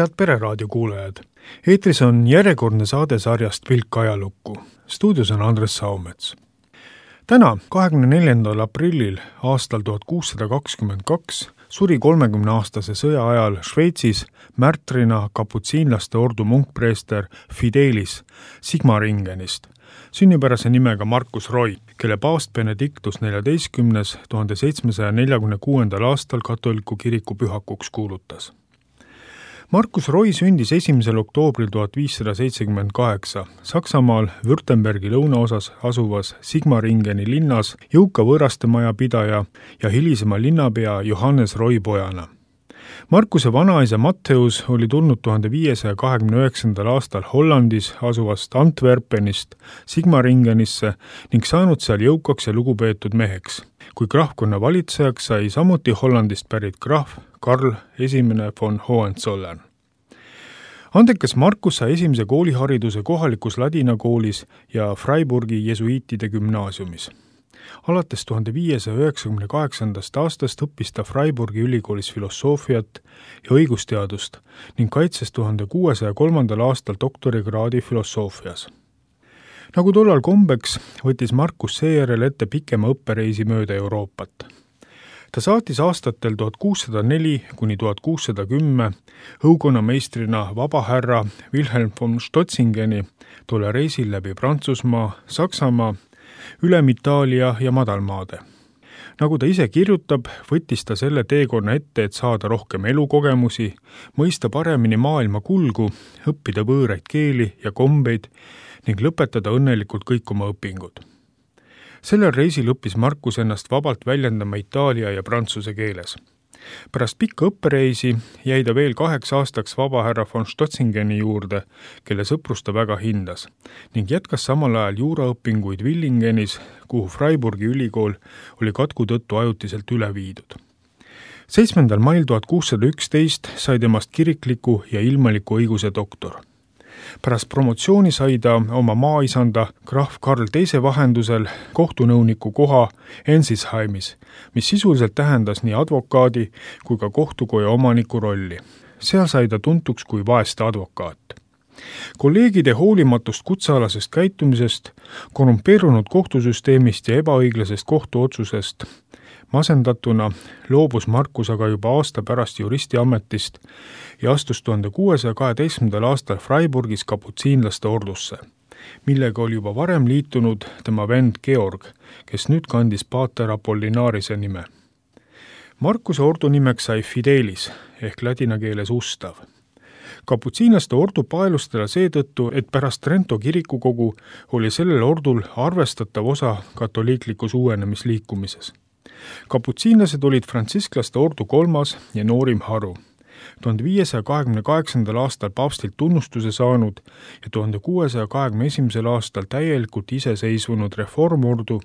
Head Pereraadio kuulajad! Eetris on järjekordne saade sarjast Pilk ajalukku. Stuudios on Andres Saumets. Täna, 24. aprillil aastal 1622 suri 30-aastase sõja ajal Šveitsis märtrina kaputsiinlaste ordu munkpreester Fidelis Sigmaringenist, sünnipärase nimega Markus Roy, kelle paavst Benedictus XIV 1746. aastal katoliku kiriku pühakuks kuulutas. Markus Roy sündis 1. oktoobril 1578 Saksamaal Württembergi lõunaosas asuvas Sigmaringeni linnas jõuka võõrastemaja pidaja ja hilisema linnapea Johannes Roy pojana. Markuse vanaisa Matteus oli tulnud 1529. aastal Hollandis asuvast Antwerpenist Sigmaringenisse ning saanud seal jõukaks ja lugupeetud meheks, kui krahvkonna valitsejaks sai samuti Hollandist pärit krahv Karl I von Hohenzollern. Andekas Markus sai esimese koolihariduse kohalikus ladinakoolis ja Freiburgi jesuiitide gümnaasiumis. Alates 1598. aastast õppis ta Freiburgi ülikoolis filosoofiat ja õigusteadust ning kaitses 1603. aastal doktorikraadi filosoofias. Nagu tollal kombeks, võttis Markus seejärel ette pikema õppereisi mööda Euroopat. Ta saatis aastatel 1604–1610 õukonnameistrina vabahärra Wilhelm von Stotzingeni tolle reisil läbi Prantsusmaa, Saksamaa, ülem Itaalia ja Madalmaade. Nagu ta ise kirjutab, võttis ta selle teekonna ette, et saada rohkem elukogemusi, mõista paremini maailma kulgu, õppida võõraid keeli ja kombeid ning lõpetada õnnelikult kõik oma õpingud. Sellel reisil õppis Markus ennast vabalt väljendama itaalia ja prantsuse keeles. Pärast pikka õppereisi jäi ta veel 8 aastaks vabahärra von Stotzingeni juurde, kelle sõprust ta väga hindas, ning jätkas samal ajal juuraõpinguid Villingenis, kuhu Freiburgi ülikool oli katku tõttu ajutiselt üle viidud. 7. mail 1611 sai temast kirikliku ja ilmaliku õiguse doktor. Pärast promotsiooni sai ta oma maaisanda krahv Karl II vahendusel kohtunõuniku koha Ensisheimis, mis sisuliselt tähendas nii advokaadi kui ka kohtukoja omaniku rolli. Seal sai ta tuntuks kui vaeste advokaat. Kolleegide hoolimatust kutsealasest käitumisest, korrumpeerunud kohtusüsteemist ja ebaõiglasest kohtuotsusest masendatuna loobus Markus aga juba aasta pärast juristi ametist ja astus 1612. aastal Freiburgis kaputsiinlaste ordusse, millega oli juba varem liitunud tema vend Georg, kes nüüd kandis paater Apollinarise nime. Markuse ordu nimeks sai Fidelis ehk ladina keeles ustav. Kaputsiinlaste ordu paelustele seetõttu, et pärast Trento kirikukogu oli sellel ordul arvestatav osa katoliiklikus uuenemisliikumises. Kaputsiinlased olid frantsisklaste ordu 3. ja noorim haru. 1528. aastal paavstilt tunnustuse saanud ja 1621. aastal täielikult iseseisvunud reformordu,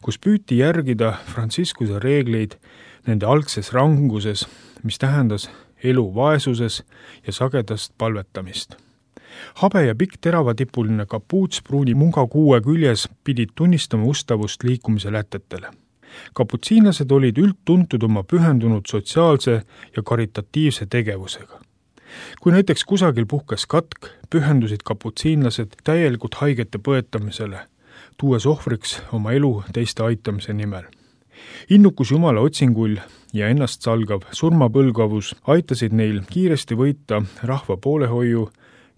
kus püüti järgida Frantsiskuse reegleid nende algses ranguses, mis tähendas elu vaesuses ja sagedast palvetamist. Habe ja pikk teravatipuline kapuuts pruuni munga kuue küljes pidid tunnistama ustavust liikumise lätetele. Kaputsiinlased olid üldtuntud oma pühendunud sotsiaalse ja karitatiivse tegevusega. Kui näiteks kusagil puhkes katk, pühendusid kaputsiinlased täielikult haigete põetamisele, tuues ohvriks oma elu teiste aitamise nimel. Innukus Jumala otsingull ja ennast salgav surmapõlgavus aitasid neil kiiresti võita rahva poolehoiu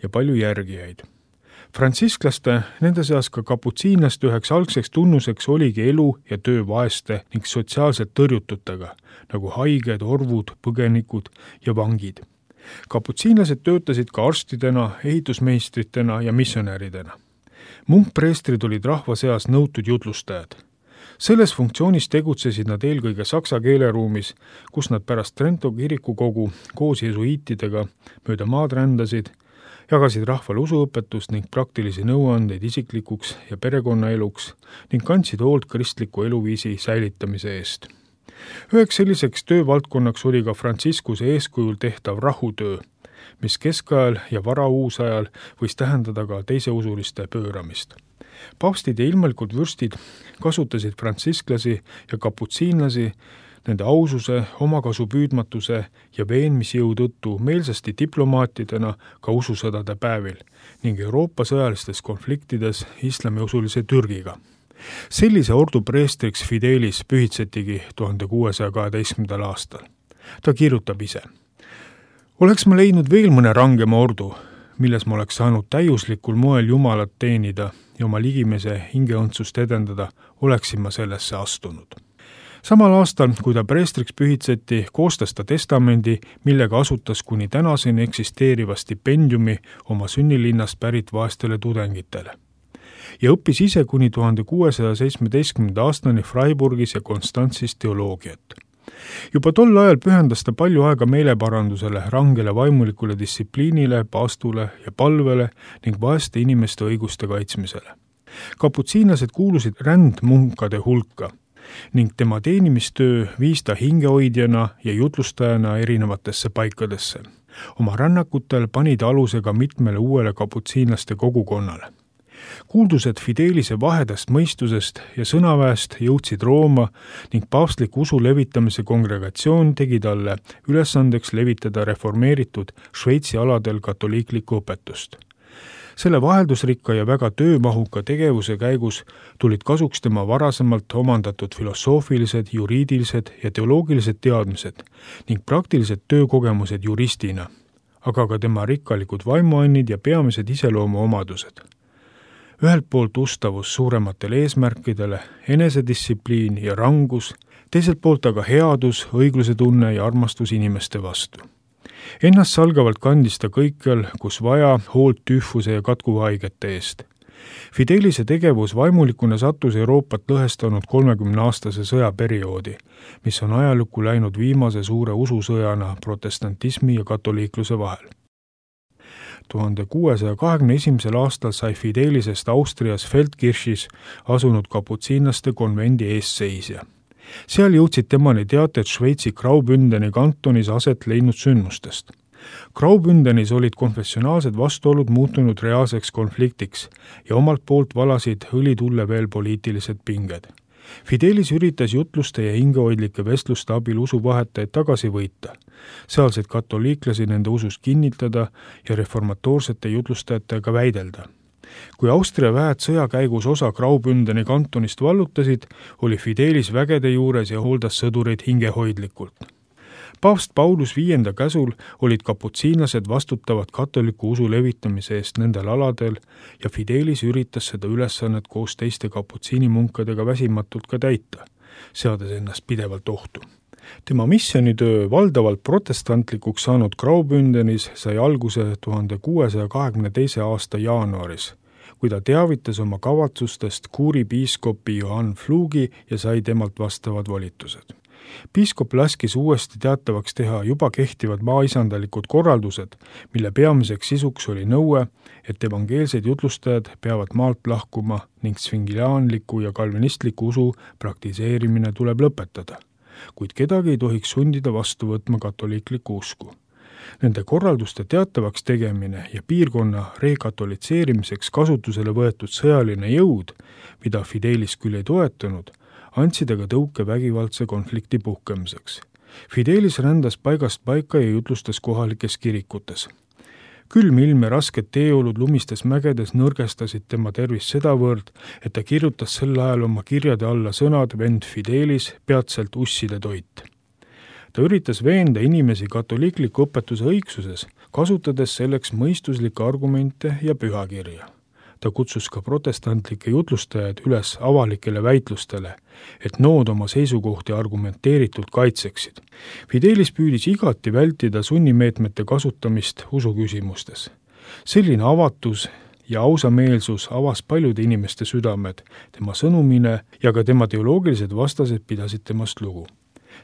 ja palju järgijaid. Frantsisklaste, nende seas ka kaputsiinlaste üheks algseks tunnuseks oligi elu ja töö vaeste ning sotsiaalselt tõrjututega, nagu haiged, orvud, põgenikud ja vangid. Kaputsiinlased töötasid ka arstidena, ehitusmeistritena ja missionäridena. Munkpreestrid olid rahva seas nõutud jutlustajad. Selles funktsioonis tegutsesid nad eelkõige saksa keeleruumis, kus nad pärast Trento kirikukogu koos jesuiitidega mööda maad rändasid, jagasid rahvale usuõpetust ning praktilisi nõuandeid isiklikuks ja perekonnaeluks ning kandsid hoolt kristliku eluviisi säilitamise eest. Üheks selliseks töövaldkonnaks oli ka Frantsiskuse eeskujul tehtav rahutöö, mis keskajal ja varauusajal võis tähendada ka teiseusuliste pööramist. Paavstid ja ilmalikud vürstid kasutasid frantsisklasi ja kaputsiinlasi Nende aususe, omakasupüüdmatuse ja veenmisjõu tõttu meelsasti diplomaatidena ka ususõdade päevil ning Euroopa sõjalistes konfliktides islamiusulise Türgiga. Sellise ordu preestriks Fidelis pühitsetigi 1612. aastal. Ta kirjutab ise: "Oleks ma leidnud veel mõne rangema ordu, milles ma oleks saanud täiuslikul moel Jumalat teenida ja oma ligimese hingeõndsust edendada, oleksin ma sellesse astunud." Samal aastal, kui ta preestriks pühitseti, koostas ta testamendi, millega asutas kuni tänaseni eksisteeriva stipendiumi oma sünnilinnast pärit vaestele tudengitele. Ja õppis ise kuni 1617. aastani Freiburgis ja Konstantsis teoloogiat. Juba tol ajal pühendas ta palju aega meeleparandusele, rangele vaimulikule distsipliinile, paastule ja palvele ning vaeste inimeste õiguste kaitsmisele. Kaputsiinlased kuulusid rändmunkade hulka ning tema teenimistöö viis ta hingehoidjana ja jutlustajana erinevatesse paikadesse. Oma rännakutel pani ta aluse ka mitmele uuele kaputsiinlaste kogukonnale. Kuuldused Fidelise vahedast mõistusest ja sõnaväest jõudsid Rooma ning paavstliku usu levitamise kongregatsioon tegi talle ülesandeks levitada reformeeritud Šveitsi aladel katoliiklikku õpetust. Selle vaheldusrikka ja väga töömahuka tegevuse käigus tulid kasuks tema varasemalt omandatud filosoofilised, juriidilised ja teoloogilised teadmised ning praktilised töökogemused juristina, aga ka tema rikkalikud vaimuannid ja peamised iseloomuomadused. Ühelt poolt ustavus suurematele eesmärkidele, enesedistsipliin ja rangus, teiselt poolt aga headus, õigluse tunne ja armastus inimeste vastu. Ennast salgavalt kandis ta kõikjal, kus vaja, hoolt tüüfuse ja katkuhaigete eest. Fidelise tegevus vaimulikuna sattus Euroopat lõhestanud 30-aastase sõjaperioodi, mis on ajalukku läinud viimase suure ususõjana protestantismi ja katoliikluse vahel. 1621. aastal sai Fidelisest Austrias Feldkirchis asunud kaputsiinlaste konvendi eesseisja. Seal jõudsid temani teated Šveitsi Graubündeni kantonis aset leidnud sündmustest. Graubündenis olid konfessionaalsed vastuolud muutunud reaalseks konfliktiks ja omalt poolt valasid õlitulle veel poliitilised pinged. Fidelis üritas jutluste ja hingehoidlike vestluste abil usuvahetajaid tagasi võita, sealseid katoliiklasi nende usus kinnitada ja reformatoorsete jutlustajatega väidelda. Kui Austria väed sõja käigus osa Graubündeni kantonist vallutasid, oli Fidelis vägede juures ja hooldas sõdureid hingehoidlikult. Paavst Paulus V käsul olid kaputsiinlased vastutavad katoliku usu levitamise eest nendel aladel ja Fidelis üritas seda ülesannet koos teiste kaputsiinimunkadega väsimatult ka täita, seades ennast pidevalt ohtu. Tema missionitöö valdavalt protestantlikuks saanud Graubündenis sai alguse 1622. aasta jaanuaris, kui ta teavitas oma kavatsustest kuuri piiskopi Johann Flugi ja sai temalt vastavad volitused. Piiskop laskis uuesti teatavaks teha juba kehtivad maaisandalikud korraldused, mille peamiseks sisuks oli nõue, et evangeelsed jutlustajad peavad maalt lahkuma ning svingiliaanliku ja kalvinistliku usu praktiseerimine tuleb lõpetada, kuid kedagi ei tohiks sundida vastu võtma katoliiklikku usku. Nende korralduste teatavaks tegemine ja piirkonna rekatolitseerimiseks kasutusele võetud sõjaline jõud, mida Fidelis küll ei toetanud, andsid aga tõuke vägivaldse konflikti puhkemiseks. Fidelis rändas paigast paika ja jutlustas kohalikes kirikutes. Külm ilm ja rasked teeolud lumistes mägedes nõrgestasid tema tervist sedavõrd, et ta kirjutas sel ajal oma kirjade alla sõnad vend Fidelis, peatselt usside toit. Ta üritas veenda inimesi katoliikliku õpetuse õigsuses, kasutades selleks mõistuslikke argumente ja pühakirja. Ta kutsus ka protestantlikke jutlustajaid üles avalikele väitlustele, et nood oma seisukohti argumenteeritult kaitseksid. Fidelis püüdis igati vältida sunnimeetmete kasutamist usuküsimustes. Selline avatus ja ausameelsus avas paljude inimeste südamed, tema sõnumine ja ka tema teoloogilised vastased pidasid temast lugu.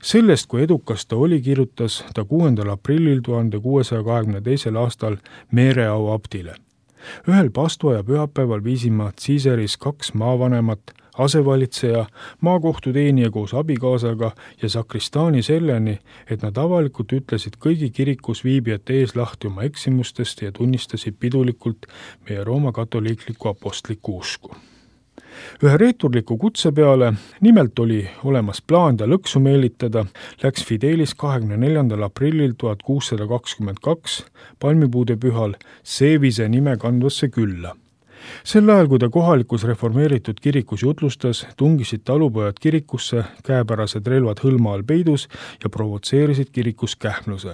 Sellest, kui edukas ta oli, kirjutas ta 6. aprillil 1622. aastal Meereau abdile. Ühel paastuaja pühapäeval viisima Ciiseris 2 maavanemat, asevalitseja, maakohtuteenija koos abikaasaga ja sakristaani selleni, et nad avalikult ütlesid kõigi kirikus viibijate ees lahti oma eksimustest ja tunnistasid pidulikult meie Rooma katoliiklikku apostlikku usku. Ühe reeturliku kutse peale, nimelt oli olemas plaan ta lõksu meelitada, läks Fidelis 24. aprillil 1622 palmipuude pühal Seevise nime kandvasse külla. Sel ajal, kui ta kohalikus reformeeritud kirikus jutlustas, tungisid talupojad kirikusse, käepärased relvad hõlma all peidus ja provotseerisid kirikus kähmluse.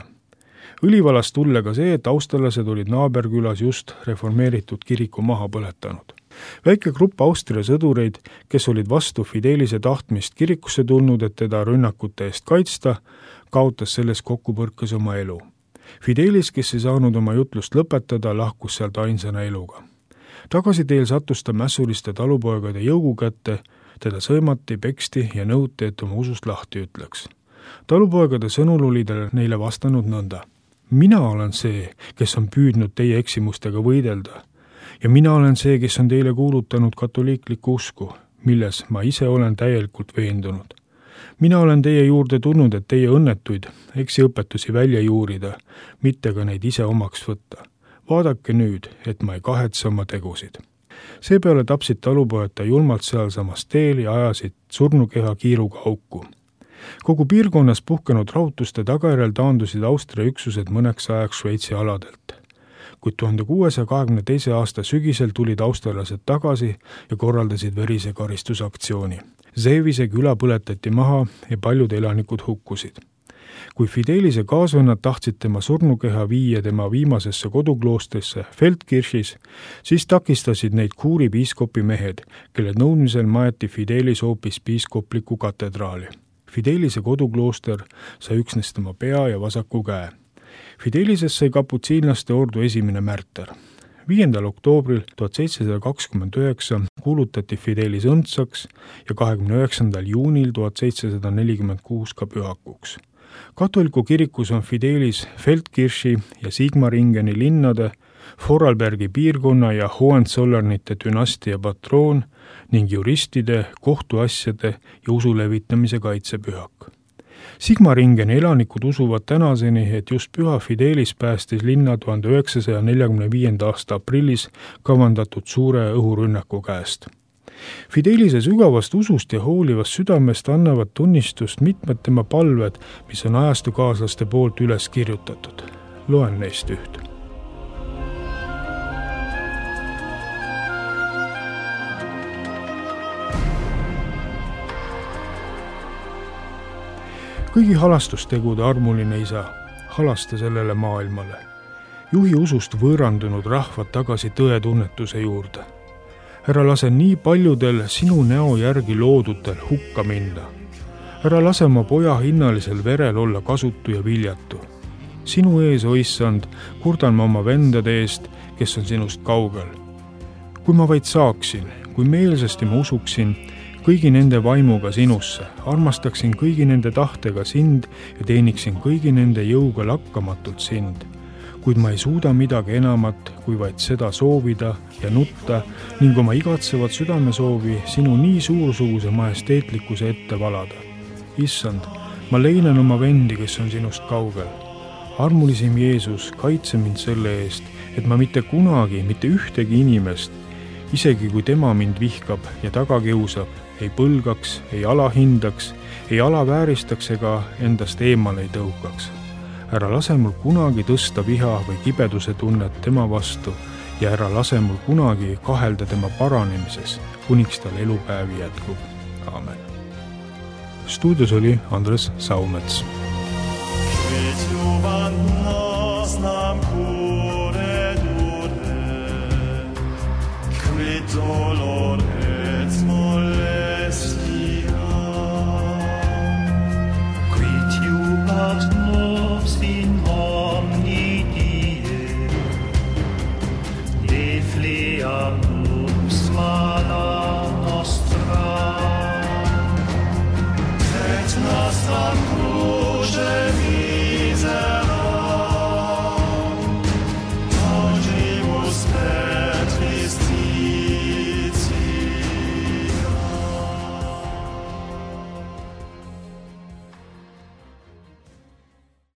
Õlivalast tulle ka see, et austerlased olid naaberkülas just reformeeritud kiriku maha põletanud. Väike grupp Austria sõdureid, kes olid vastu Fidelise tahtmist kirikusse tulnud, et teda rünnakute eest kaitsta, kaotas selles kokkupõrkes oma elu. Fidelis, kes ei saanud oma jutlust lõpetada, lahkus sealt ainsana eluga. Tagasiteel sattus ta mässuliste talupoegade jõugu kätte, teda sõimati, peksti ja nõuti, et oma usust lahti ütleks. Talupoegade sõnul oli ta neile vastanud nõnda. Mina olen see, kes on püüdnud teie eksimustega võidelda ja mina olen see, kes on teile kuulutanud katoliiklikku usku, milles ma ise olen täielikult veendunud. Mina olen teie juurde tulnud, et teie õnnetuid eksiõpetusi välja juurida, mitte ka neid ise omaks võtta. Vaadake nüüd, et ma ei kahetse oma tegusid. Seepeale tapsid talupojad ta julmalt sealsamas teel ja ajasid surnukeha kiiruga auku. Kogu piirkonnas puhkenud rahutuste tagajärjel taandusid Austria üksused mõneks ajaks Šveitsi aladelt. Kuid 1622. aasta sügisel tulid austerlased tagasi ja korraldasid verise karistusaktsiooni. Seevise küla põletati maha ja paljud elanikud hukkusid. Kui Fidelise kaasvennad tahtsid tema surnukeha viia tema viimasesse kodukloostrisse Feldkirchis, siis takistasid neid Kuuri piiskopi mehed, kelle nõudmisel maeti Fidelis hoopis piiskopliku katedraali. Fidelise koduklooster sai üksnes tema pea ja vasaku käe. Fidelises sai kaputsiinlaste ordu esimene märter. 5. oktoobril 1729 kuulutati Fidelis õndsaks ja 29. juunil 1746 ka pühakuks. Katoliku kirikus on Fidelis Feldkirchi ja Sigmaringeni linnade, Vorarlbergi piirkonna ja Hohenzollernite dünastia patroon ning juristide, kohtuasjade ja usu levitamise kaitsepühak. Sigmaringeni elanikud usuvad tänaseni, et just püha Fidelis päästis linna 1945. aasta aprillis kavandatud suure õhurünnaku käest. Fidelise sügavast usust ja hoolivast südamest annavad tunnistust mitmed tema palved, mis on ajastukaaslaste poolt üles kirjutatud. Loen neist üht. Kõigi halastustegude armuline isa, halasta sellele maailmale. Juhi usust võõrandunud rahvad tagasi tõetunnetuse juurde. Ära lase nii paljudel sinu näo järgi loodutel hukka minna. Ära lase oma poja hinnalisel verel olla kasutu ja viljatu. Sinu ees, o issand, kurdan ma oma vendade eest, kes on sinust kaugel. Kui ma vaid saaksin, kui meelsasti ma usuksin kõigi nende vaimuga sinusse, armastaksin kõigi nende tahtega sind ja teeniksin kõigi nende jõuga lakkamatult sind. Kuid ma ei suuda midagi enamat, kui vaid seda soovida ja nutta ning oma igatsevat südamesoovi sinu nii suursuguse majesteetlikkuse ette valada. Issand, ma leinan oma vendi, kes on sinust kaugel. Armulisim Jeesus, kaitse mind selle eest, et ma mitte kunagi, mitte ühtegi inimest, isegi kui tema mind vihkab ja taga kiusab, ei põlgaks, ei alahindaks, ei alavääristaks ega endast eemale ei tõukaks. Ära lase mul kunagi tõsta viha või kibeduse tunnet tema vastu ja ära lase mul kunagi kahelda tema paranemises, kuniks tal elupäevi jätkub. Aamen. Stuudios oli Andres Saumets. Dolor